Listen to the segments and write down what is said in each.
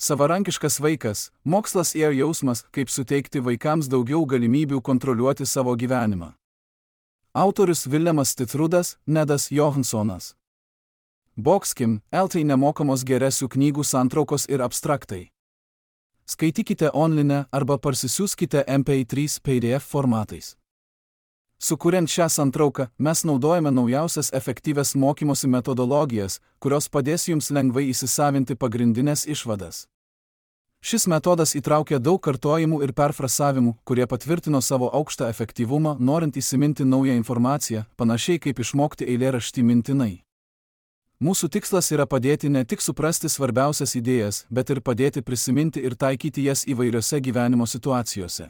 Savarankiškas vaikas – mokslas ir jausmas, kaip suteikti vaikams daugiau galimybių kontroliuoti savo gyvenimą. Autorius Viljamas Titrudas, Nedas Johansonas. Boxkim, LT nemokamos geresių knygų santraukos ir abstraktai. Skaitykite online arba parsisiųskite MP3 PDF formatais. Sukuriant šią santrauką, mes naudojame naujausias efektyvias mokymosi metodologijas, kurios padės jums lengvai įsisavinti pagrindinės išvadas. Šis metodas įtraukia daug kartojimų ir perfrasavimų, kurie patvirtino savo aukštą efektyvumą, norint įsiminti naują informaciją, panašiai kaip išmokti eilėraštį mintinai. Mūsų tikslas yra padėti ne tik suprasti svarbiausias idėjas, bet ir padėti prisiminti ir taikyti jas įvairiose gyvenimo situacijose.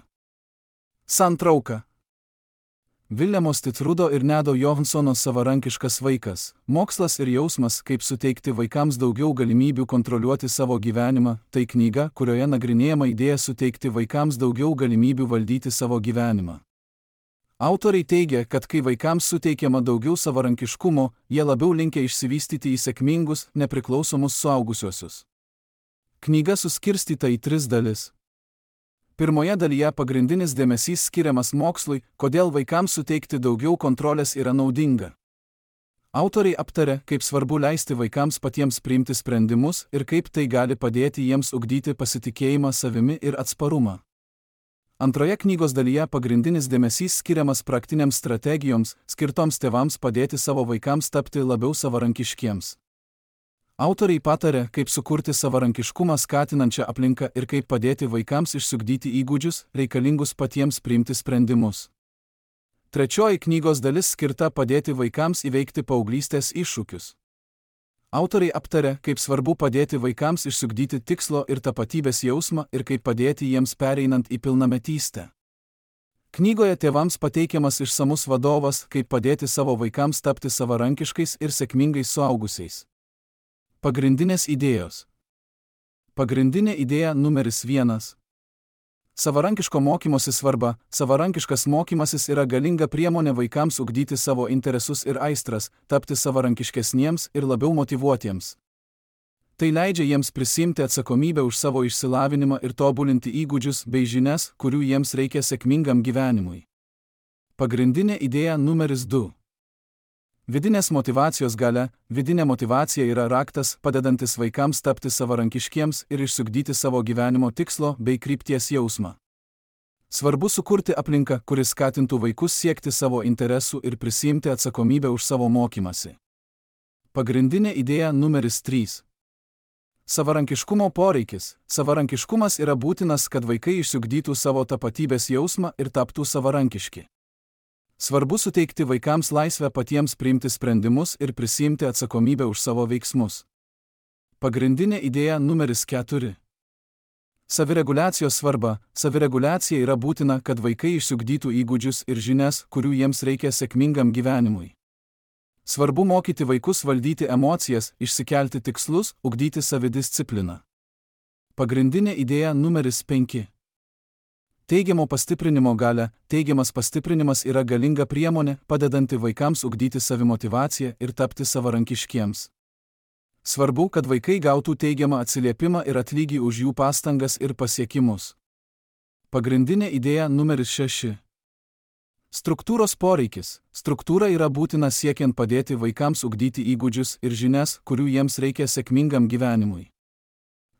Santrauka. Viljamo Titrudo ir Nedo Johansono Savarankiškas vaikas – mokslas ir jausmas, kaip suteikti vaikams daugiau galimybių kontroliuoti savo gyvenimą. Tai knyga, kurioje nagrinėjama idėja suteikti vaikams daugiau galimybių valdyti savo gyvenimą. Autoriai teigia, kad kai vaikams suteikiama daugiau savarankiškumo, jie labiau linkę išsivystyti į sėkmingus, nepriklausomus suaugusiuosius. Knyga suskirstyta į 3 dalis. Pirmoje dalyje pagrindinis dėmesys skiriamas mokslui, kodėl vaikams suteikti daugiau kontrolės yra naudinga. Autoriai aptaria, kaip svarbu leisti vaikams patiems priimti sprendimus ir kaip tai gali padėti jiems ugdyti pasitikėjimą savimi ir atsparumą. Antroje knygos dalyje pagrindinis dėmesys skiriamas praktiniams strategijoms, skirtoms tėvams padėti savo vaikams tapti labiau savarankiškiems. Autoriai patarė, kaip sukurti savarankiškumą skatinančią aplinką ir kaip padėti vaikams išsiugdyti įgūdžius, reikalingus patiems priimti sprendimus. Trečioji knygos dalis skirta padėti vaikams įveikti paauglystės iššūkius. Autoriai aptarė, kaip svarbu padėti vaikams išsiugdyti tikslo ir tapatybės jausmą ir kaip padėti jiems pereinant į pilnametystę. Knygoje tėvams pateikiamas išsamus vadovas, kaip padėti savo vaikams tapti savarankiškais ir sėkmingais suaugusiais. Pagrindinės idėjos. Pagrindinė idėja numeris 1. Savarankiško mokymosi svarba. Savarankiškas mokymasis yra galinga priemonė vaikams ugdyti savo interesus ir aistras, tapti savarankiškesniems ir labiau motyvuotiems. Tai leidžia jiems prisimti atsakomybę už savo išsilavinimą ir tobulinti įgūdžius bei žinias, kurių jiems reikia sėkmingam gyvenimui. Pagrindinė idėja numeris 2. Vidinės motyvacijos galia. Vidinė motyvacija yra raktas, padedantis vaikams tapti savarankiškiems ir išsiugdyti savo gyvenimo tikslo bei krypties jausmą. Svarbu sukurti aplinką, kuris skatintų vaikus siekti savo interesų ir prisiimti atsakomybę už savo mokymasi. Pagrindinė idėja numeris 3. Savarankiškumo poreikis. Savarankiškumas yra būtinas, kad vaikai išsiugdytų savo tapatybės jausmą ir taptų savarankiški. Svarbu suteikti vaikams laisvę patiems priimti sprendimus ir prisiimti atsakomybę už savo veiksmus. Pagrindinė idėja numeris 4. Savireguliacijos svarba. Savireguliacija yra būtina, kad vaikai išsiugdytų įgūdžius ir žinias, kurių jiems reikia sėkmingam gyvenimui. Svarbu mokyti vaikus valdyti emocijas, išsikelti tikslus, ugdyti savidiscipliną. Pagrindinė idėja numeris 5. Teigiamo pastiprinimo galia. Teigiamas pastiprinimas yra galinga priemonė, padedanti vaikams ugdyti savimotyvaciją ir tapti savarankiškiems. Svarbu, kad vaikai gautų teigiamą atsiliepimą ir atlygį už jų pastangas ir pasiekimus. Pagrindinė idėja numeris 6. Struktūros poreikis. Struktūra yra būtina siekiant padėti vaikams ugdyti įgūdžius ir žinias, kurių jiems reikia sėkmingam gyvenimui.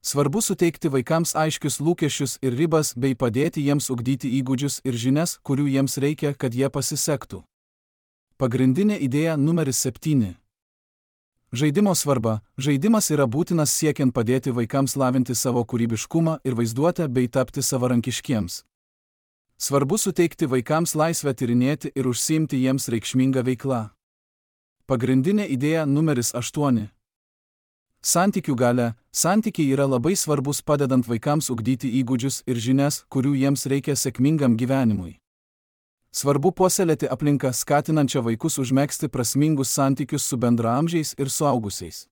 Svarbu suteikti vaikams aiškius lūkesčius ir ribas bei padėti jiems ugdyti įgūdžius ir žinias, kurių jiems reikia, kad jie pasisektų. Pagrindinė idėja numeris 7. Žaidimo svarba. Žaidimas yra būtinas siekiant padėti vaikams lavinti savo kūrybiškumą ir vaizduotę bei tapti savarankiškiems. Svarbu suteikti vaikams laisvę tyrinėti ir užsiimti jiems reikšmingą veiklą. Pagrindinė idėja numeris 8. Santykių galia. Santykiai yra labai svarbus padedant vaikams ugdyti įgūdžius ir žinias, kurių jiems reikia sėkmingam gyvenimui. Svarbu puoselėti aplinką skatinančią vaikus užmegzti prasmingus santykius su bendraamžiais ir suaugusiais.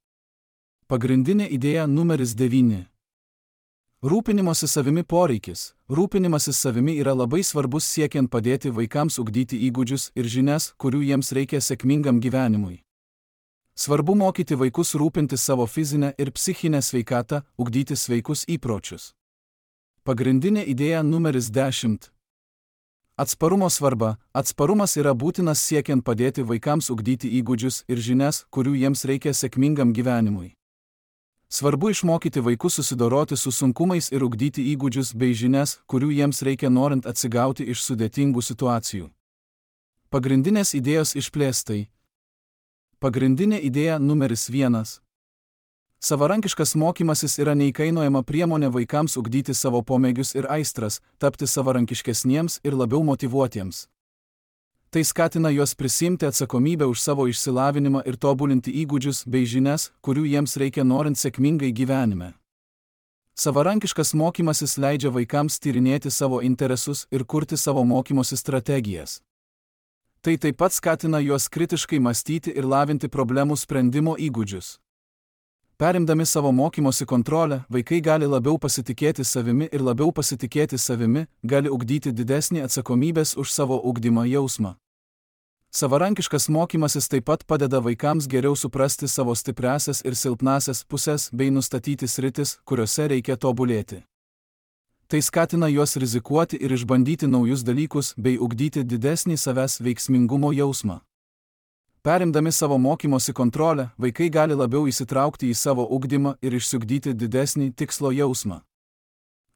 Pagrindinė idėja numeris 9. Rūpinimosi savimi poreikis. Rūpinimasis savimi yra labai svarbus siekiant padėti vaikams ugdyti įgūdžius ir žinias, kurių jiems reikia sėkmingam gyvenimui. Svarbu mokyti vaikus rūpintis savo fizinę ir psichinę sveikatą, ugdyti sveikus įpročius. Pagrindinė idėja numeris 10. Atsparumo svarba. Atsparumas yra būtinas siekiant padėti vaikams ugdyti įgūdžius ir žinias, kurių jiems reikia sėkmingam gyvenimui. Svarbu išmokyti vaikus susidoroti su sunkumais ir ugdyti įgūdžius bei žinias, kurių jiems reikia norint atsigauti iš sudėtingų situacijų. Pagrindinės idėjos išplėstai. Pagrindinė idėja numeris 1. Savarankiškas mokymasis yra neįkainojama priemonė vaikams ugdyti savo pomėgius ir aistras, tapti savarankiškesniems ir labiau motyvuotiems. Tai skatina juos prisimti atsakomybę už savo išsilavinimą ir tobulinti įgūdžius bei žinias, kurių jiems reikia norint sėkmingai gyvenime. Savarankiškas mokymasis leidžia vaikams tyrinėti savo interesus ir kurti savo mokymosi strategijas. Tai taip pat skatina juos kritiškai mąstyti ir lavinti problemų sprendimo įgūdžius. Perimdami savo mokymosi kontrolę, vaikai gali labiau pasitikėti savimi ir labiau pasitikėti savimi, gali ugdyti didesnį atsakomybės už savo ugdymą jausmą. Savarankiškas mokymasis taip pat padeda vaikams geriau suprasti savo stipriąsias ir silpnąsias pusės bei nustatyti sritis, kuriuose reikia tobulėti. Tai skatina juos rizikuoti ir išbandyti naujus dalykus bei ugdyti didesnį savęs veiksmingumo jausmą. Perimdami savo mokymosi kontrolę, vaikai gali labiau įsitraukti į savo ugdymą ir išsiugdyti didesnį tikslo jausmą.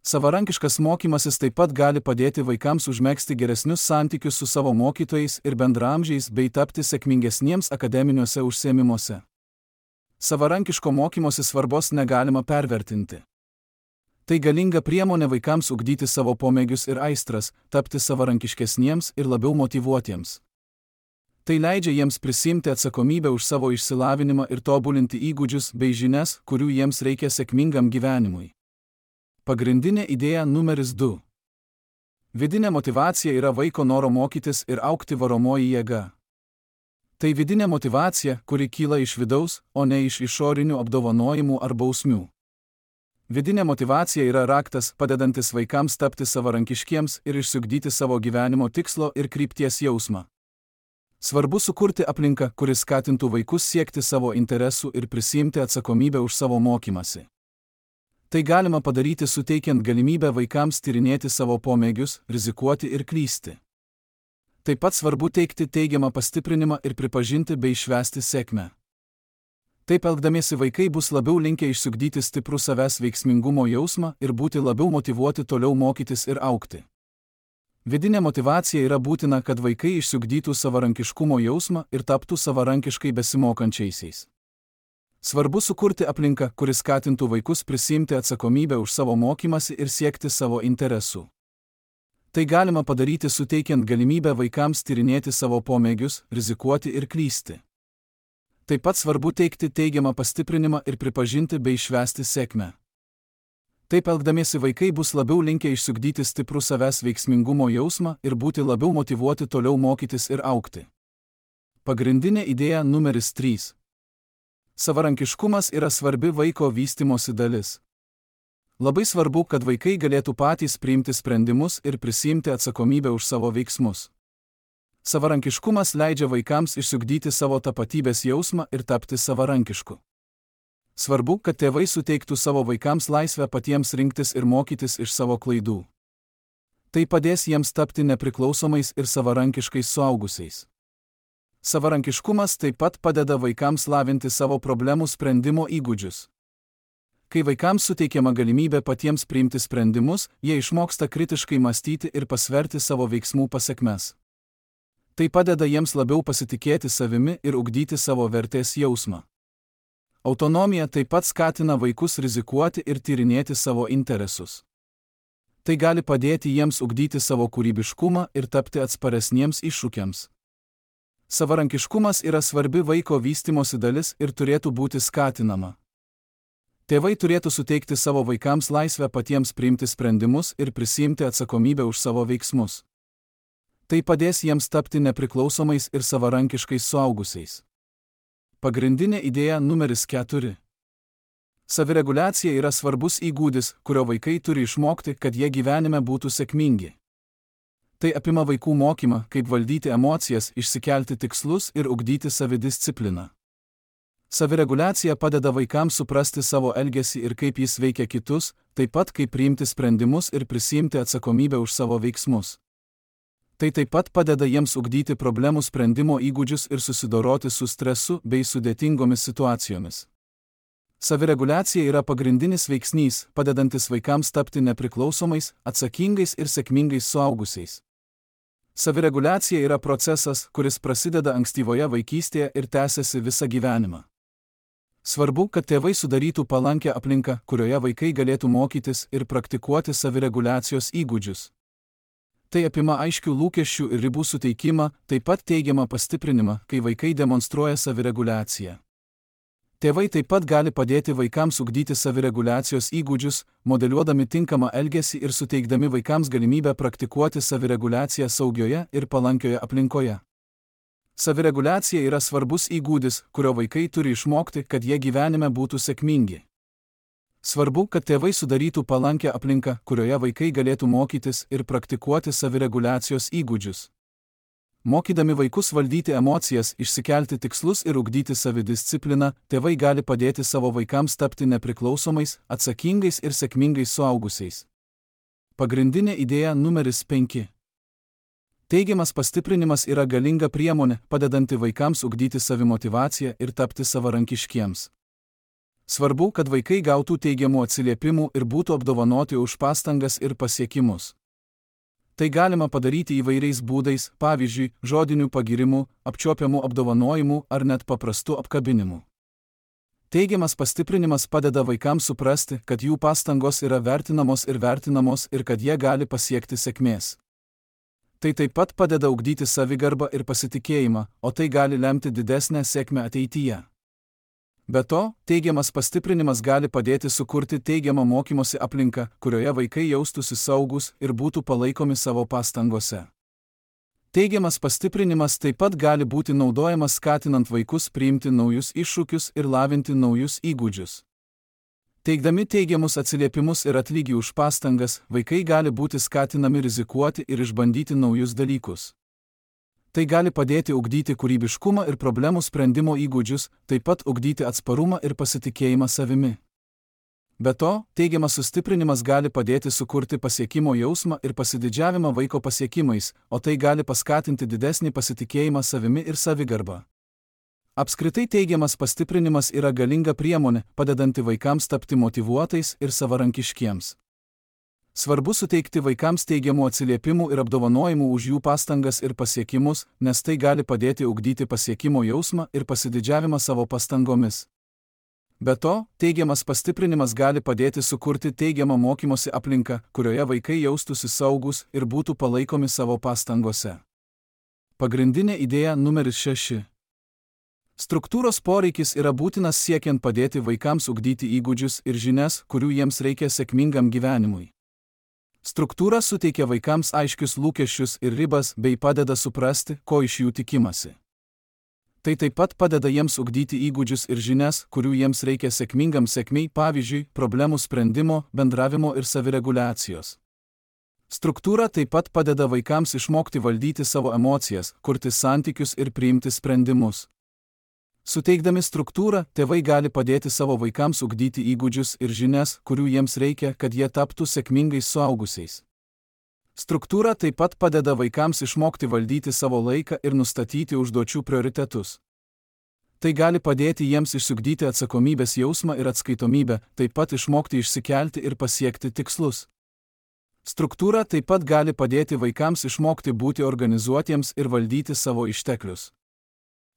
Savarankiškas mokymasis taip pat gali padėti vaikams užmegzti geresnius santykius su savo mokytojais ir bendraamžiais bei tapti sėkmingesniems akademiniuose užsiėmimuose. Savarankiško mokymosi svarbos negalima pervertinti. Tai galinga priemonė vaikams ugdyti savo pomėgius ir aistras, tapti savarankiškesniems ir labiau motyvuotiems. Tai leidžia jiems prisimti atsakomybę už savo išsilavinimą ir tobulinti įgūdžius bei žinias, kurių jiems reikia sėkmingam gyvenimui. Pagrindinė idėja numeris 2. Vidinė motyvacija yra vaiko noro mokytis ir augti varomoji jėga. Tai vidinė motyvacija, kuri kyla iš vidaus, o ne iš išorinių apdovanojimų ar bausmių. Vidinė motyvacija yra raktas, padedantis vaikams tapti savarankiškiems ir išsiugdyti savo gyvenimo tikslo ir krypties jausmą. Svarbu sukurti aplinką, kuris skatintų vaikus siekti savo interesų ir prisiimti atsakomybę už savo mokymasi. Tai galima padaryti suteikiant galimybę vaikams tyrinėti savo pomėgius, rizikuoti ir klysti. Taip pat svarbu teikti teigiamą pastiprinimą ir pripažinti bei švęsti sėkmę. Taip elgdamiesi vaikai bus labiau linkę išsiugdyti stiprų savęs veiksmingumo jausmą ir būti labiau motyvuoti toliau mokytis ir augti. Vidinė motyvacija yra būtina, kad vaikai išsiugdytų savarankiškumo jausmą ir taptų savarankiškai besimokančiaisiais. Svarbu sukurti aplinką, kuris skatintų vaikus prisiimti atsakomybę už savo mokymasi ir siekti savo interesų. Tai galima padaryti suteikiant galimybę vaikams tyrinėti savo pomėgius, rizikuoti ir klysti. Taip pat svarbu teikti teigiamą pastiprinimą ir pripažinti bei švęsti sėkmę. Taip elgdamiesi vaikai bus labiau linkę išsiugdyti stiprų savęs veiksmingumo jausmą ir būti labiau motyvuoti toliau mokytis ir augti. Pagrindinė idėja numeris 3. Savarankiškumas yra svarbi vaiko vystymosi dalis. Labai svarbu, kad vaikai galėtų patys priimti sprendimus ir prisiimti atsakomybę už savo veiksmus. Savarankiškumas leidžia vaikams išsiugdyti savo tapatybės jausmą ir tapti savarankišku. Svarbu, kad tėvai suteiktų savo vaikams laisvę patiems rinktis ir mokytis iš savo klaidų. Tai padės jiems tapti nepriklausomais ir savarankiškais suaugusiais. Savarankiškumas taip pat padeda vaikams lavinti savo problemų sprendimo įgūdžius. Kai vaikams suteikiama galimybė patiems priimti sprendimus, jie išmoksta kritiškai mąstyti ir pasverti savo veiksmų pasekmes. Tai padeda jiems labiau pasitikėti savimi ir ugdyti savo vertės jausmą. Autonomija taip pat skatina vaikus rizikuoti ir tyrinėti savo interesus. Tai gali padėti jiems ugdyti savo kūrybiškumą ir tapti atsparesniems iššūkiams. Savarankiškumas yra svarbi vaiko vystymosi dalis ir turėtų būti skatinama. Tėvai turėtų suteikti savo vaikams laisvę patiems priimti sprendimus ir prisiimti atsakomybę už savo veiksmus. Tai padės jiems tapti nepriklausomais ir savarankiškais suaugusiais. Pagrindinė idėja numeris 4. Savireguliacija yra svarbus įgūdis, kurio vaikai turi išmokti, kad jie gyvenime būtų sėkmingi. Tai apima vaikų mokymą, kaip valdyti emocijas, išsikelti tikslus ir ugdyti savidiscipliną. Savireguliacija padeda vaikams suprasti savo elgesį ir kaip jis veikia kitus, taip pat kaip priimti sprendimus ir prisiimti atsakomybę už savo veiksmus. Tai taip pat padeda jiems ugdyti problemų sprendimo įgūdžius ir susidoroti su stresu bei sudėtingomis situacijomis. Savireguliacija yra pagrindinis veiksnys, padedantis vaikams tapti nepriklausomais, atsakingais ir sėkmingais suaugusiais. Savireguliacija yra procesas, kuris prasideda ankstyvoje vaikystėje ir tęsiasi visą gyvenimą. Svarbu, kad tėvai sudarytų palankę aplinką, kurioje vaikai galėtų mokytis ir praktikuoti savireguliacijos įgūdžius. Tai apima aiškių lūkesčių ir ribų suteikimą, taip pat teigiamą pastiprinimą, kai vaikai demonstruoja savireguliaciją. Tėvai taip pat gali padėti vaikams ugdyti savireguliacijos įgūdžius, modeliuodami tinkamą elgesį ir suteikdami vaikams galimybę praktikuoti savireguliaciją saugioje ir palankioje aplinkoje. Savireguliacija yra svarbus įgūdis, kurio vaikai turi išmokti, kad jie gyvenime būtų sėkmingi. Svarbu, kad tėvai sudarytų palankę aplinką, kurioje vaikai galėtų mokytis ir praktikuoti savireguliacijos įgūdžius. Mokydami vaikus valdyti emocijas, išsikelti tikslus ir ugdyti savidiscipliną, tėvai gali padėti savo vaikams tapti nepriklausomais, atsakingais ir sėkmingais suaugusiais. Pagrindinė idėja numeris 5. Teigiamas pastiprinimas yra galinga priemonė, padedanti vaikams ugdyti savimotyvaciją ir tapti savarankiškiems. Svarbu, kad vaikai gautų teigiamų atsiliepimų ir būtų apdovanoti už pastangas ir pasiekimus. Tai galima padaryti įvairiais būdais, pavyzdžiui, žodinių pagirimų, apčiuopiamų apdovanojimų ar net paprastų apkabinimų. Teigiamas pastiprinimas padeda vaikams suprasti, kad jų pastangos yra vertinamos ir kad jie gali pasiekti sėkmės. Tai taip pat padeda ugdyti savigarbą ir pasitikėjimą, o tai gali lemti didesnę sėkmę ateityje. Be to, teigiamas pastiprinimas gali padėti sukurti teigiamą mokymosi aplinką, kurioje vaikai jaustųsi saugūs ir būtų palaikomi savo pastangose. Teigiamas pastiprinimas taip pat gali būti naudojamas skatinant vaikus priimti naujus iššūkius ir lavinti naujus įgūdžius. Teikdami teigiamus atsiliepimus ir atlygį už pastangas, vaikai gali būti skatinami rizikuoti ir išbandyti naujus dalykus. Tai gali padėti ugdyti kūrybiškumą ir problemų sprendimo įgūdžius, taip pat ugdyti atsparumą ir pasitikėjimą savimi. Be to, teigiamas sustiprinimas gali padėti sukurti pasiekimo jausmą ir pasididžiavimą vaiko pasiekimais, o tai gali paskatinti didesnį pasitikėjimą savimi ir savigarbą. Apskritai teigiamas pastiprinimas yra galinga priemonė, padedanti vaikams tapti motyvuotais ir savarankiškiems. Svarbu suteikti vaikams teigiamų atsiliepimų ir apdovanojimų už jų pastangas ir pasiekimus, nes tai gali padėti ugdyti pasiekimo jausmą ir pasididžiavimą savo pastangomis. Be to, teigiamas pastiprinimas gali padėti sukurti teigiamą mokymosi aplinką, kurioje vaikai jaustųsi saugūs ir būtų palaikomi savo pastangose. Pagrindinė idėja numeris 6. Struktūros poreikis yra būtinas siekiant padėti vaikams ugdyti įgūdžius ir žinias, kurių jiems reikia sėkmingam gyvenimui. Struktūra suteikia vaikams aiškius lūkesčius ir ribas bei padeda suprasti, ko iš jų tikimasi. Tai taip pat padeda jiems ugdyti įgūdžius ir žinias, kurių jiems reikia sėkmingam sėkmei, pavyzdžiui, problemų sprendimo, bendravimo ir savireguliacijos. Struktūra taip pat padeda vaikams išmokti valdyti savo emocijas, kurti santykius ir priimti sprendimus. Suteikdami struktūrą, tėvai gali padėti savo vaikams ugdyti įgūdžius ir žinias, kurių jiems reikia, kad jie taptų sėkmingais suaugusiais. Struktūra taip pat padeda vaikams išmokti valdyti savo laiką ir nustatyti užduočių prioritetus. Tai gali padėti jiems išsiugdyti atsakomybės jausmą ir atskaitomybę, taip pat išmokti išsikelti ir pasiekti tikslus. Struktūra taip pat gali padėti vaikams išmokti būti organizuotiems ir valdyti savo išteklius.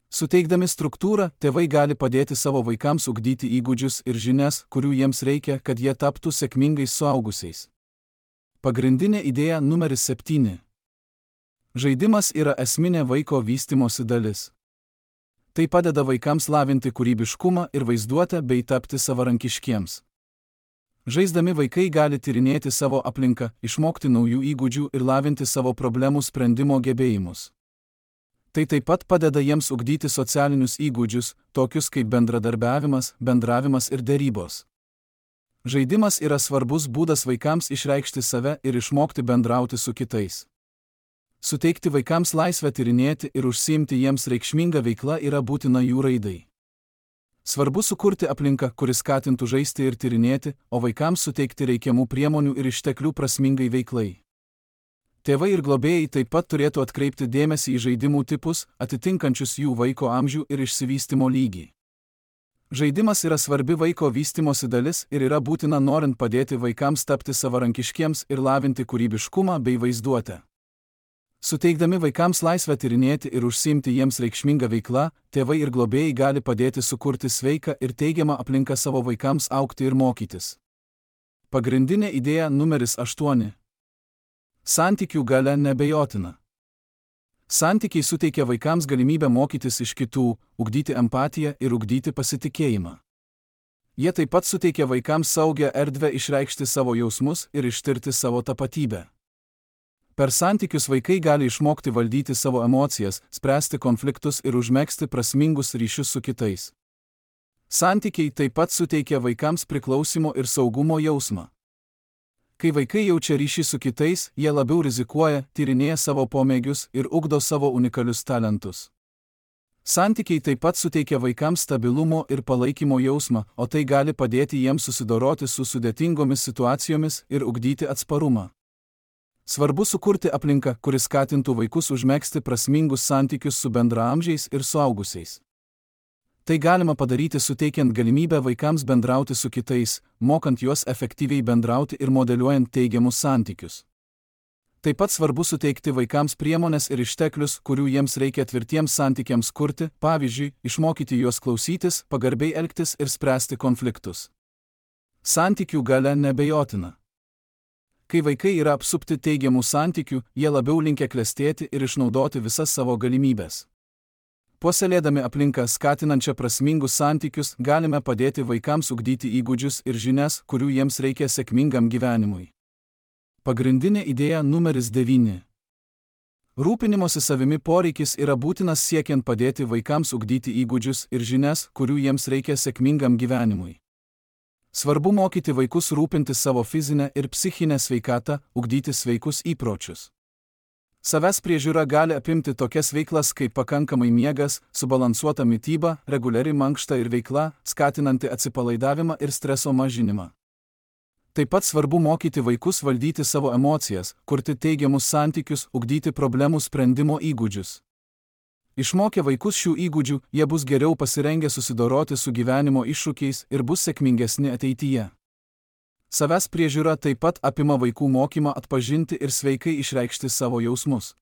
Suteikdami struktūrą, tėvai gali padėti savo vaikams ugdyti įgūdžius ir žinias, kurių jiems reikia, kad jie taptų sėkmingais suaugusiais. Pagrindinė idėja numeris 7. Žaidimas yra esminė vaiko vystymosi dalis. Tai padeda vaikams lavinti kūrybiškumą ir vaizduotę bei tapti savarankiškiems. Žaisdami vaikai gali tyrinėti savo aplinką, išmokti naujų įgūdžių ir lavinti savo problemų sprendimo gebėjimus. Tai taip pat padeda jiems ugdyti socialinius įgūdžius, tokius kaip bendradarbiavimas, bendravimas ir derybos. Žaidimas yra svarbus būdas vaikams išreikšti save ir išmokti bendrauti su kitais. Suteikti vaikams laisvę tyrinėti ir užsiimti jiems reikšmingą veiklą yra būtina jų raidai. Svarbu sukurti aplinką, kuris skatintų žaisti ir tyrinėti, o vaikams suteikti reikiamų priemonių ir išteklių prasmingai veiklai. Tėvai ir globėjai taip pat turėtų atkreipti dėmesį į žaidimų tipus, atitinkančius jų vaiko amžių ir išsivystymo lygį. Žaidimas yra svarbi vaiko vystymosi dalis ir yra būtina norint padėti vaikams tapti savarankiškiems ir lavinti kūrybiškumą bei vaizduotę. Suteikdami vaikams laisvę tyrinėti ir užsiimti jiems reikšmingą veiklą, tėvai ir globėjai gali padėti sukurti sveiką ir teigiamą aplinką savo vaikams augti ir mokytis. Pagrindinė idėja numeris 8. Santykių galia neabejotina. Santykiai suteikia vaikams galimybę mokytis iš kitų, ugdyti empatiją ir ugdyti pasitikėjimą. Jie taip pat suteikia vaikams saugią erdvę išreikšti savo jausmus ir ištirti savo tapatybę. Per santykius vaikai gali išmokti valdyti savo emocijas, spręsti konfliktus ir užmegzti prasmingus ryšius su kitais. Santykiai taip pat suteikia vaikams priklausimo ir saugumo jausmą. Kai vaikai jaučia ryšį su kitais, jie labiau rizikuoja, tyrinėja savo pomėgius ir ugdo savo unikalius talentus. Santykiai taip pat suteikia vaikams stabilumo ir palaikymo jausmą, o tai gali padėti jiems susidoroti su sudėtingomis situacijomis ir ugdyti atsparumą. Svarbu sukurti aplinką, kuris skatintų vaikus užmegzti prasmingus santykius su bendraamžiais ir suaugusiais. Tai galima padaryti suteikiant galimybę vaikams bendrauti su kitais, mokant juos efektyviai bendrauti ir modeliuojant teigiamus santykius. Taip pat svarbu suteikti vaikams priemones ir išteklius, kurių jiems reikia tvirtiems santykiams kurti, pavyzdžiui, išmokyti juos klausytis, pagarbiai elgtis ir spręsti konfliktus. Santykių galia neabejotina. Kai vaikai yra apsupti teigiamų santykių, jie labiau linkę klestėti ir išnaudoti visas savo galimybes. Puoselėdami aplinką skatinančią prasmingus santykius, galime padėti vaikams ugdyti įgūdžius ir žinias, kurių jiems reikia sėkmingam gyvenimui. Pagrindinė idėja numeris 9. Rūpinimosi savimi poreikis yra būtinas siekiant padėti vaikams ugdyti įgūdžius ir žinias, kurių jiems reikia sėkmingam gyvenimui. Svarbu mokyti vaikus rūpintis savo fizinę ir psichinę sveikatą, ugdyti sveikus įpročius. Savęs priežiūra gali apimti tokias veiklas kaip pakankamai miegas, subalansuota mityba, reguliari mankšta ir veikla, skatinanti atsipalaidavimą ir streso mažinimą. Taip pat svarbu mokyti vaikus valdyti savo emocijas, kurti teigiamus santykius, ugdyti problemų sprendimo įgūdžius. Išmokę vaikus šių įgūdžių, jie bus geriau pasirengę susidoroti su gyvenimo iššūkiais ir bus sėkmingesni ateityje. Savęs priežiūra taip pat apima vaikų mokymą atpažinti ir sveikai išreikšti savo jausmus.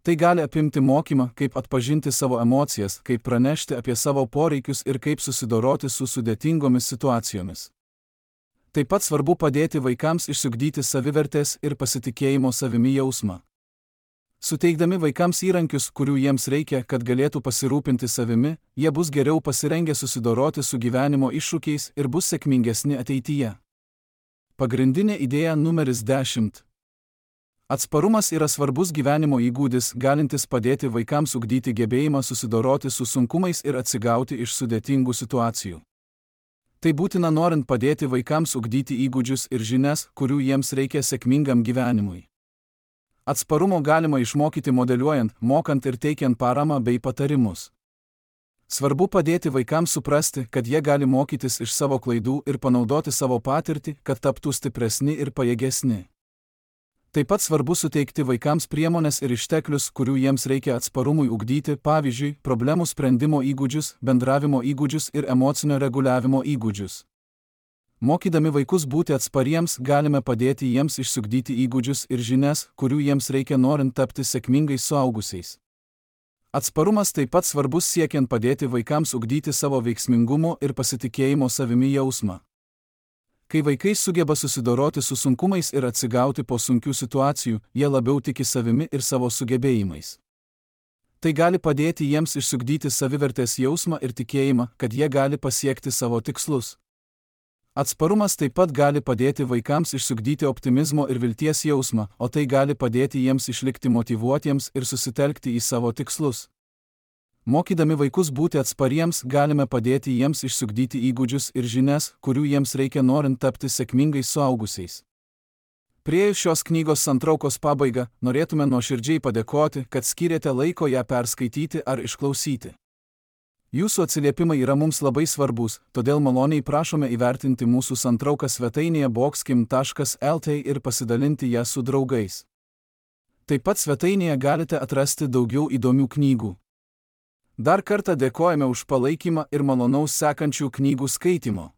Tai gali apimti mokymą, kaip atpažinti savo emocijas, kaip pranešti apie savo poreikius ir kaip susidoroti su sudėtingomis situacijomis. Taip pat svarbu padėti vaikams išsiugdyti savivertės ir pasitikėjimo savimi jausmą. Suteikdami vaikams įrankius, kurių jiems reikia, kad galėtų pasirūpinti savimi, jie bus geriau pasirengę susidoroti su gyvenimo iššūkiais ir bus sėkmingesni ateityje. Pagrindinė idėja numeris 10. Atsparumas yra svarbus gyvenimo įgūdis, galintis padėti vaikams ugdyti gebėjimą susidoroti su sunkumais ir atsigauti iš sudėtingų situacijų. Tai būtina norint padėti vaikams ugdyti įgūdžius ir žinias, kurių jiems reikia sėkmingam gyvenimui. Atsparumo galima išmokyti modeliuojant, mokant ir teikiant paramą bei patarimus. Svarbu padėti vaikams suprasti, kad jie gali mokytis iš savo klaidų ir panaudoti savo patirtį, kad taptų stipresni ir pajėgesni. Taip pat svarbu suteikti vaikams priemones ir išteklius, kurių jiems reikia atsparumui ugdyti, pavyzdžiui, problemų sprendimo įgūdžius, bendravimo įgūdžius ir emocinio reguliavimo įgūdžius. Mokydami vaikus būti atspariems, galime padėti jiems išsiugdyti įgūdžius ir žinias, kurių jiems reikia norint tapti sėkmingais suaugusiais. Atsparumas taip pat svarbus siekiant padėti vaikams ugdyti savo veiksmingumo ir pasitikėjimo savimi jausmą. Kai vaikai sugeba susidoroti su sunkumais ir atsigauti po sunkių situacijų, jie labiau tiki savimi ir savo sugebėjimais. Tai gali padėti jiems išsiugdyti savivertės jausmą ir tikėjimą, kad jie gali pasiekti savo tikslus. Atsparumas taip pat gali padėti vaikams išsiugdyti optimizmo ir vilties jausmą, o tai gali padėti jiems išlikti motyvuotiems ir susitelkti į savo tikslus. Mokydami vaikus būti atspariems, galime padėti jiems išsiugdyti įgūdžius ir žinias, kurių jiems reikia norint tapti sėkmingais suaugusiais. Priėjus šios knygos santraukos pabaigą, norėtume nuoširdžiai padėkoti, kad skyrėte laiko ją perskaityti ar išklausyti. Jūsų atsiliepimai yra mums labai svarbus, todėl maloniai prašome įvertinti mūsų santrauką svetainėje boxkim.lt ir pasidalinti ją su draugais. Taip pat svetainėje galite atrasti daugiau įdomių knygų. Dar kartą dėkojame už palaikymą ir malonaus sekančių knygų skaitymo.